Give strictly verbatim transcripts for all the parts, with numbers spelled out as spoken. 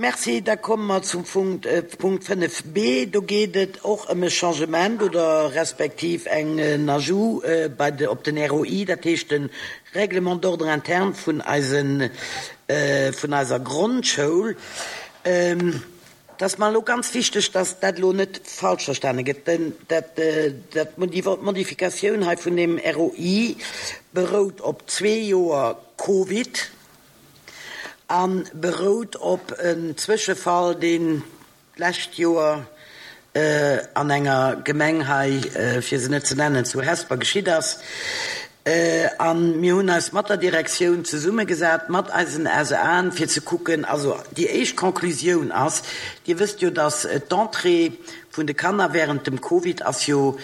Merci. Da komme mer zum Punkt, Punkt fënnef b. Do geet et och ëm e Changement oder respektiv en Ajout bei de, op den R O I, dat heescht de Règlement d'ordre interne vun eisen, vun eiser Grondschoul. Et ass mer elo ganz wichteg, dass dat elo net falsch verstane gëtt. Den, dat, dat, déi Modifikatioun hei vun dem R O I berout op zwee Joer Covid a berout op en Zwëschefall, deen d'lescht Joer an enger Gemeng hei, fir se net ze nennen, zu Hesper geschitt ass. A mir hunn eis mat der Direktioun zesummegesat, mat eisen S E Aen, fir ze kucken, also déi éischt Conclusioun ass, Dir wësst jo, dass d'Entrée vun de Kanner während dem Covid ass jo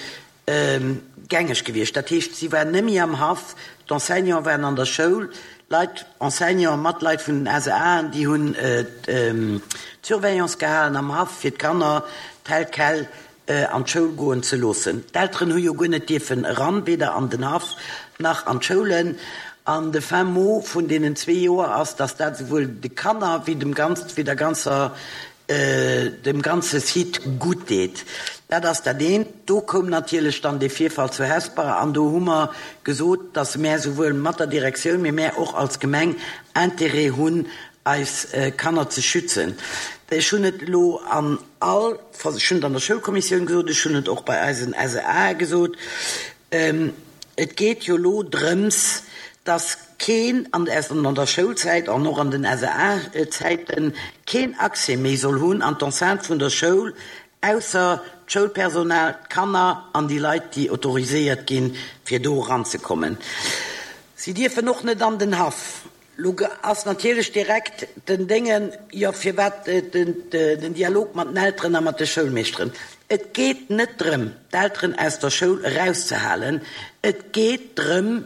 gängeg gewiescht. Dat heescht, si waren net méi am Haff, d'Enseignante waren an der Schoul, Leit, Enseignanten mat Leit vun den S E Aen, déi hunn d'Surveillance gehalen am Haff, fir d'Kanner tel quel an d'Schoul goen ze loossen. D'Elteren hu jo guer net dierfen eran, weder an den Haff nach an d'Schoulen. An de fin mot vun deenen zwee Joer ass, dass dat souwuel de Kanner wéi dem ganz, wéi der ganzer, dem ganze Site gutt deet. Dat ass dat eent. Do koum natierlech dann dee Virfall zu Hesper an do hu mer gesot, dass mär souwuel mat der Direktioun, mee mär och als Gemeng Intérêt hunn, eis Kanner ze schützen. Ech hunn et elo an all, ech hunn et an der Schoulkommissioun gesot, ech hunn et och bei eisen S E A gesot, et geet jo elo drëms, dass keen an der Schoulzäit an och an den S E A-Zäiten keen Accès méi soll hunn an d'Enceinte vun der Schoul, ausser d'Schoulpersonal, d'Kanner an déi Leit, déi autoriséiert ginn, fir do eranzekommen. Si dierfen och net an den Haff. Lo ass natierlech direkt den Déngen, jo, firwat den Dialog mat den Elteren a mat de Schoulmeeschteren? Et geet net drëm, d'Elteren aus der Schoul erauszehalen. Et geet drëm,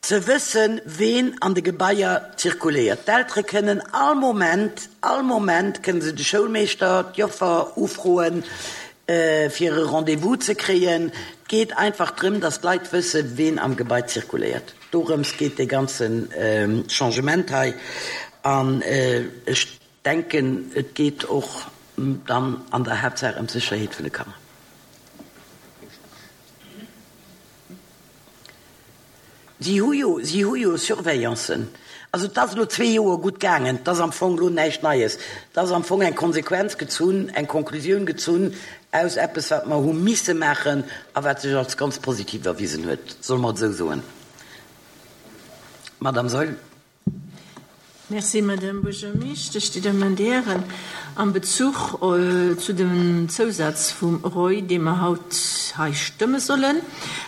ze wëssen, ween an de Gebaier zirkuléiert. D'Eltere kënnen all Moment, all Moment kënnen se de Schoulmeeschter, d'Joffer ufroen, fir e Rendez-vous ze kréien. Et geet einfach drëm, dass d'Leit wëssen, ween am Gebai zirkuléiert. Dorëms geet dee ganze Changement hei. An ech denken, et geet och dann an der Haaptsaach ëm d'Sécherheet vun de Kanner. Si hu jo, si hu jo Surveillancen. Also et ass elo zwee Joer gutt gaangen, et ass am Fong elo näischt Neies. Et ass am Fong eng Konsequenz gezunn, eng Konklusioun gezunn aus eppes, wat mer hu misse maachen a wat sech als ganz positiv erwisen huet, solle mer et esou soen. Madame Saeul. Merci, Madame Buergermeeschtesch. Dir Dammen an Dir Hären, am Bezuch zu dem Zousaz vum R O I, dee mer haut hei stëmme sollen,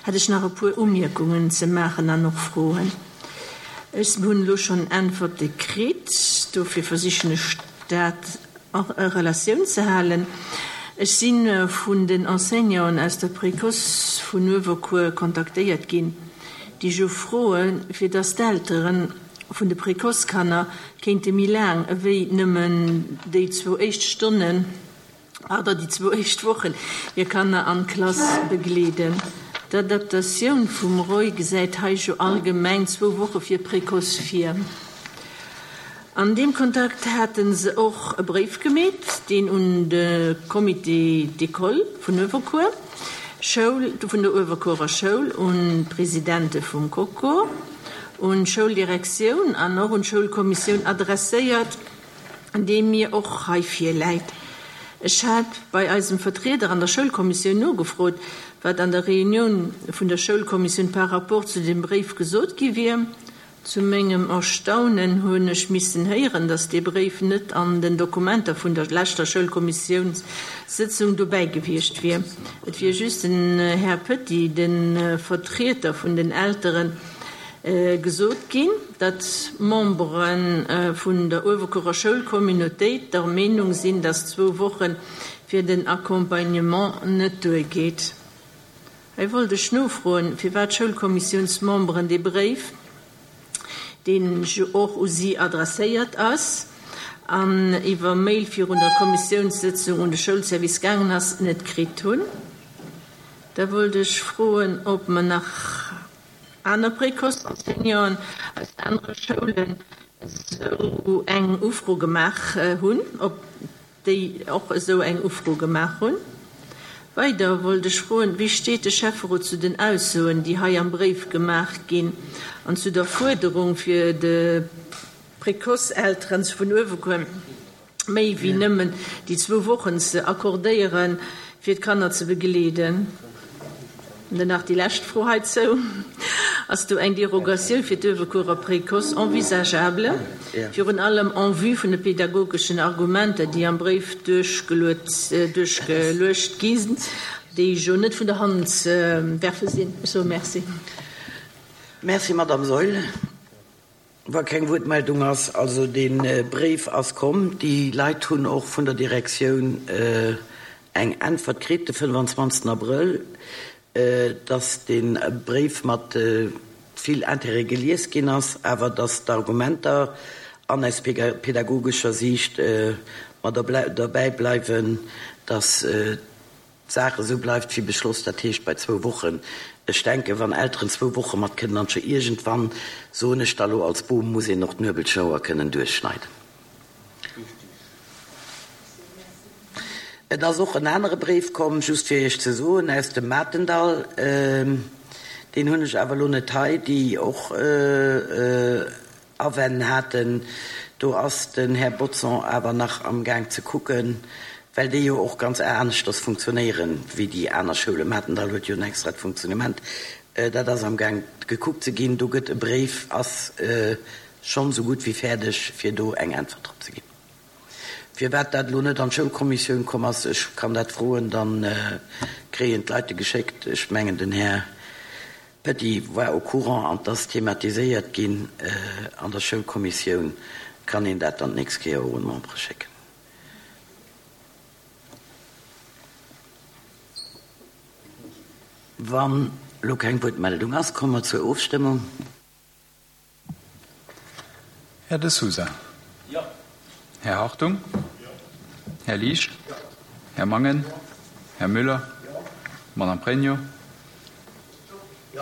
hätt ech nach e puer Umierkungen ze maachen an och Froen. Ech hunn elo schonn Äntwerte kritt, dofir versichen ech dat a Relatioun ze halen. Ech si vun den Enseignanten aus der Précoce vun Uewerkuer kontaktéiert ginn, déi jo froen, fir dass d'Eltere vun de Précoce-Kanner kéinte méi laang ewéi nëmmen déi zwou éischt Stonnen, pardon, déi zwou éischt Wochen hir Kanner an d'Klass begleeden. D'Adaptatioun vum R O I gesäit hei jo allgemeng zwou Woche fir Précoce vir. An deem Kontakt hate se och e Bréif gemeet, deen un de Comité d'école vun Uewerkuer Schoul, vun der Uewerkuerer Schoul, un d'Presidente vum CoCo, un d'Schouldirektioun an och un d'Schoulkommissioun adresséiert, dee mir och hei virläit. Ech hat bei eisem Vertrieder an der Schoulkommissioun nogefrot, wat an der Reunioun vun der Schoulkommissioun par rapport zu dem Bréif gesot gi wier. Zu mengem Erstaunen hunn ech missen héieren, datt dee Bréif net an den Dokumenter vun der leschter Schoulkommissiounssëtzung dobäi gewiescht wier. Et wier just den Här Petit, de Vertrieter vun den Elteren, gesot ginn, datt d'Membere vun der Uewerkuerer Schoulcommunautéit der Meenung sinn, datt zwou Woche fir den Accompagnement net duergeet. Hei wollt ech nofroen, firwat d'Schoulkommissiounsmemberen dee Bréif, deen jo och u si adresséiert ass an iwwer Mail virun der Kommissiounssëtzung un de Schoulservice gaangen ass, net kritt hunn. Da wollt ech froen, ob mer nach aner Précoce-Enseignanten aus anere Schoulen esou eng Ufro gemaach hunn, ob déi och esou eng Ufro gemaach hunn. Weider wollt ech froen, wéi steet de Schäfferot zu den Aussoen, déi hei am Bréif gemaach ginn an zu der Fuerderung fir de Précoce-Elteren vun Uewerkuer méi wéi nëmmen déi zwou Wochen ze accordéieren, fir d'Kanner ze begleeden? An dann nach déi lescht Fro heizou, Ass do eng Derogatioun fir d'Uewerkuerer Précoce envisageable, virun allem en vue vun de pedagogeschen Argumenter, déi am Bréif duerchgeluecht gi sinn, déi jo net vun der Hand ze werfe sinn? Ech soe Merci. Merci, Madame Saeul. Wa keng Wuertmeldung ass, also dee Bréif ass komm, déi Leit hunn och vun der Direktioun eng Äntwert kritt de fënnwanzwanzegsten Abrëll, dass dee Bréif mat vill Intérêt gelies ginn ass, awer dass d'Argumenter an aus pedagogescher Siicht mer derbäi bleiwen, dass d'Saach esou bleift wéi beschloss, dat heescht bei zwou Wochen. Ech denken, wann Elteren zwou Woche mat kënnen an iergendwann, soen ech da lo als Bom, muss een och d'Nuebelschnouer kënnen duerchschneiden. Et ass och en anere Bréif komm, just fir Iech ze soen, aus dem Matendall, deen hunn ech awer elo net hei, déi och Awänn haten. Do ass den Här Bodson awer nach amgaang ze kucken, well déi jo och ganz aneschters funktionéieren wéi déi aner Schoulen. Matendall huet jo en extrat Funktionnement. Dat ass amgaang gekuckt ze ginn. Do gëtt e Bréif, ass schonn esou gutt wéi fäerdeg, fir do eng Äntwert drop ze ginn. Firwat dat elo net an d'Schoulkommissioun komm ass, ech kann dat froen, da kréien d'Leit e geschéckt. Ech mengen, den Här Petit war au courant an 't ass thematiséiert ginn an der Schoulkommissioun. Kann een dat dann d'nächst Kéier och un d'Membere schécken. Wann elo keng Wuertmeldung ass, komme mer zur Ofstëmmung. Här De Sousa. Jo. Här Hartung. Jo. Här Liesch. Jo. Här Mangen. Jo. Här Müller. Jo. Madame Pregno. Jo.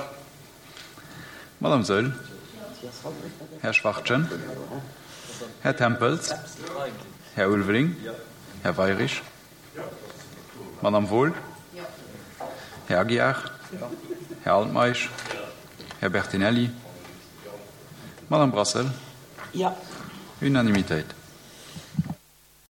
Madame Saeul. Här Schwachtgen. Här Tempels. Här Ulveling. Jo. Här Weirich. Jo. Madame Wohl. Jo. Här Aguiar. Jo. Här Altmeisch. Jo. Här Bertinelli. Jo. Madame Brassel. Jo. Unanimitéit.